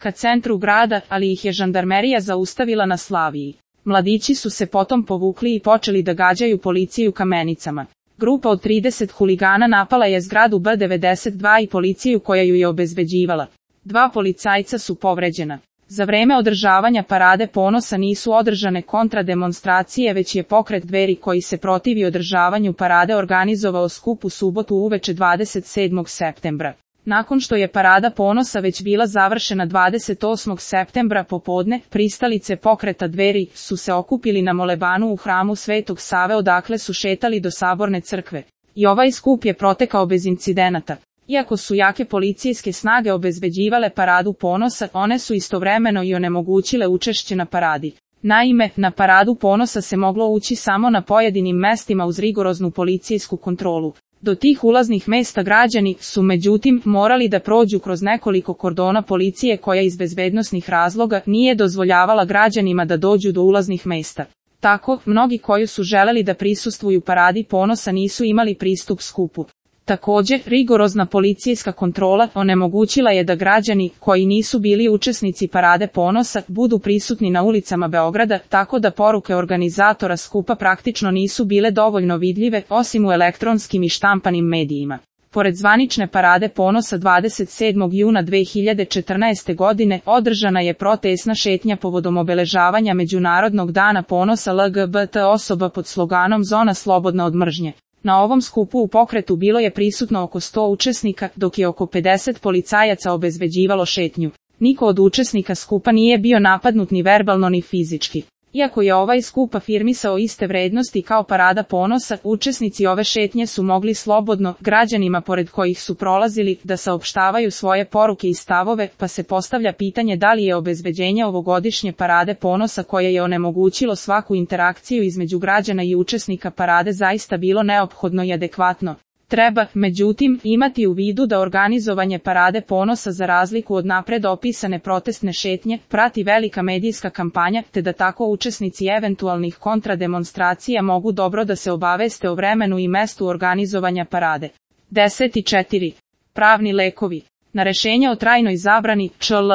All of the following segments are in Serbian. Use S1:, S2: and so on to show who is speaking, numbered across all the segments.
S1: ka centru grada, ali ih je žandarmerija zaustavila na Slaviji. Mladići su se potom povukli i počeli da gađaju policiju kamenicama. Grupa od 30 huligana napala je zgradu B92 i policiju koja ju je obezbeđivala. 2 policajca su povređena. Za vreme održavanja parade ponosa nisu održane kontrademonstracije, već je pokret Dveri koji se protivi održavanju parade organizovao skup u subotu uveče 27. septembra. Nakon što je parada ponosa već bila završena 28. septembra popodne, pristalice pokreta Dveri su se okupili na molebanu u hramu Svetog Save, odakle su šetali do Saborne crkve. I ovaj skup je protekao bez incidenata. Iako su jake policijske snage obezbeđivale paradu ponosa, one su istovremeno i onemogućile učešće na paradi. Naime, na paradu ponosa se moglo ući samo na pojedinim mestima uz rigoroznu policijsku kontrolu. Do tih ulaznih mesta građani su međutim morali da prođu kroz nekoliko kordona policije koja iz bezbednosnih razloga nije dozvoljavala građanima da dođu do ulaznih mesta. Tako, mnogi koji su želeli da prisustvuju paradi ponosa nisu imali pristup skupu. Također, rigorozna policijska kontrola onemogućila je da građani, koji nisu bili učesnici parade ponosa, budu prisutni na ulicama Beograda, tako da poruke organizatora skupa praktično nisu bile dovoljno vidljive, osim u elektronskim i štampanim medijima. Pored zvanične parade ponosa 27. juna 2014. godine održana je protestna šetnja povodom obeležavanja Međunarodnog dana ponosa LGBT osoba pod sloganom Zona slobodna od mržnje. Na ovom skupu u pokretu bilo je prisutno oko 100 učesnika, dok je oko 50 policajaca obezbeđivalo šetnju. Niko od učesnika skupa nije bio napadnut ni verbalno ni fizički. Iako je ovaj skup afirmisao iste vrednosti kao parada ponosa, učesnici ove šetnje su mogli slobodno, građanima pored kojih su prolazili, da saopštavaju svoje poruke i stavove, pa se postavlja pitanje da li je obezbeđenje ovogodišnje parade ponosa koje je onemogućilo svaku interakciju između građana i učesnika parade zaista bilo neophodno i adekvatno. Treba, međutim, imati u vidu da organizovanje parade ponosa za razliku od napred opisane protestne šetnje, prati velika medijska kampanja, te da tako učesnici eventualnih kontrademonstracija mogu dobro da se obaveste o vremenu i mestu organizovanja parade. 10.4. Pravni lekovi. Na rešenje o trajnoj zabrani ČL.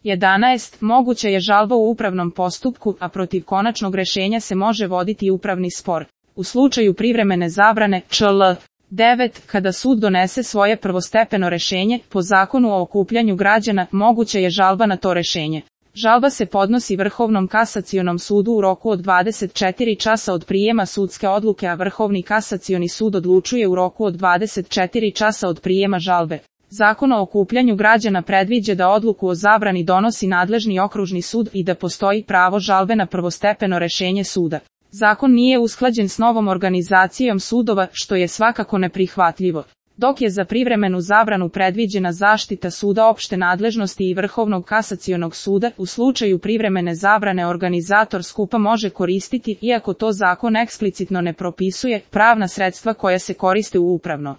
S1: 11. Moguća je žalba u upravnom postupku, a protiv konačnog rešenja se može voditi i upravni spor. U slučaju privremene zabrane ČL. 9. Kada sud donese svoje prvostepeno rešenje, po zakonu o okupljanju građana, moguća je žalba na to rešenje. Žalba se podnosi Vrhovnom kasacionom sudu u roku od 24 časa od prijema sudske odluke, a Vrhovni kasacioni sud odlučuje u roku od 24 časa od prijema žalbe. Zakon o okupljanju građana predviđa da odluku o zabrani donosi nadležni okružni sud i da postoji pravo žalbe na prvostepeno rešenje suda. Zakon nije usklađen s novom organizacijom sudova, što je svakako neprihvatljivo. Dok je za privremenu zabranu predviđena zaštita suda opšte nadležnosti i Vrhovnog kasacionog suda, u slučaju privremene zabrane organizator skupa može koristiti, iako to zakon eksplicitno ne propisuje, pravna sredstva koja se koriste u upravno